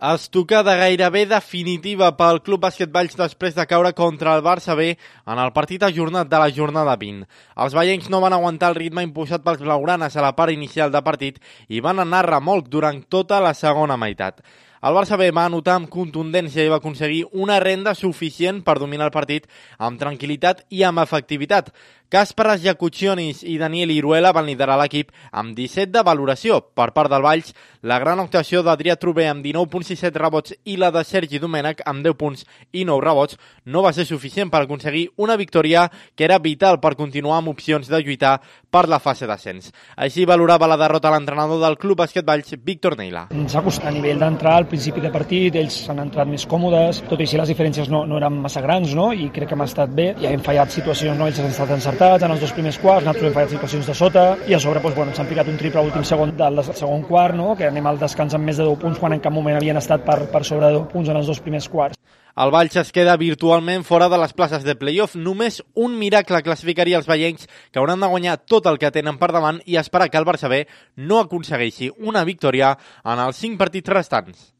Estocada gairebé definitiva pel Club Bàsquet Valls després de caure contra el Barça B en el partit ajornat de la jornada 20. Els vallencs no van aguantar el ritme imposat pels blaugranes a la part inicial de partit i van anar remolc durant tota la segona meitat. El Barça B va anotar amb contundència i va aconseguir una renda suficient per dominar el partit amb tranquil·litat i amb efectivitat. Kasparas Jakucionis i Daniel Iruela van liderar l'equip amb 17 de valoració. Per part del Valls, la gran actuació d'Adrià Trubé amb 19 punts i 7 rebots i la de Sergi Domènech amb 10 punts i 9 rebots no va ser suficient per aconseguir una victòria que era vital per continuar amb opcions de lluitar per la fase d'ascens. Així valorava la derrota l'entrenador del Club Bàsquet Valls, Víctor Neila. Ens ha costat a nivell d'entrar al principi de partit, ells s'han entrat més còmodes, tot i així les diferències no eren massa grans, no? I crec que hem estat bé, ja hem fallat situacions, no? Ells han estat encertats en els dos primers quarts, nosaltres hem fallat situacions de sota i a sobre ens han picat un triple a l'últim segon del segon quart, no? Que anem al descans amb més de 10 punts quan en cap moment havien estat per sobre de 10 punts en els dos primers quarts. El Valls es queda virtualment fora de les places de play-off. Només un miracle classificaria els vallencs, que hauran de guanyar tot el que tenen per davant i esperar que el Barça B no aconsegueixi una victòria en els 5 partits restants.